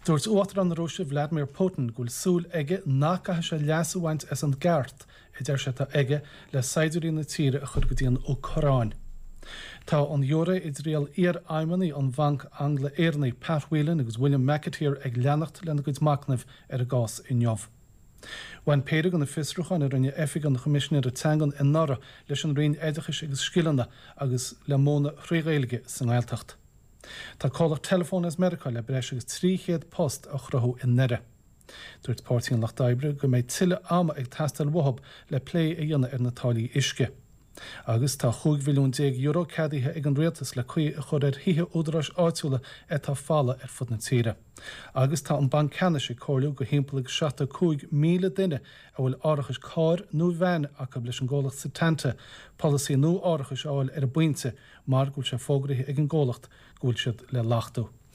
Dúirt Uachtarán na Rúise Vladimir Putin go bhfuil súil aige nach gcaithfidh sé leas a bhaint as an gceart a deir sé atá aige le saighdiúirí na tíre a chur go dtí an Úcráin. Tá an ghiúiré i dtriail iarfheidhmeannaigh an Bhainc Angla-Éireannaigh Pat Whelan agus William McAteer ag leanacht lena gcuid machnaimh ar an gcás inniu. Bhain péire de na fiosrúcháin a rinne Oifig an Choimisinéara Teangan anuraidh leis an Roinn Oideachais agus Scileanna agus le múineadh thrí Ghaeilge sa nGaeltacht. Tá comhlacht teileafóin as Meiriceá le breis agus 300 post a chruthú i nDoire. Dúirt Páirtí an Lucht Oibre go mbeidh tuilleadh ama ag teastáil uathu le plé a dhéanamh ar na táillí uisce. Agus tá €15 mhilliún ceadaithe ag an rialtas le caoi a chur ar thithe údaráis áitiúla atá folamh ar fud na tíre. Agus tá an Banc Ceannais ag comhairliú do thimpeall agus 75,000 duine a bhfuil árachais cairr nó veain acu leis an gcomhlacht Setanta polasaí nua árachais a fháil ar an bpointe mar go bhfuil sé fógraithe ag an gcomhlacht go bhfuil siad le laghdú.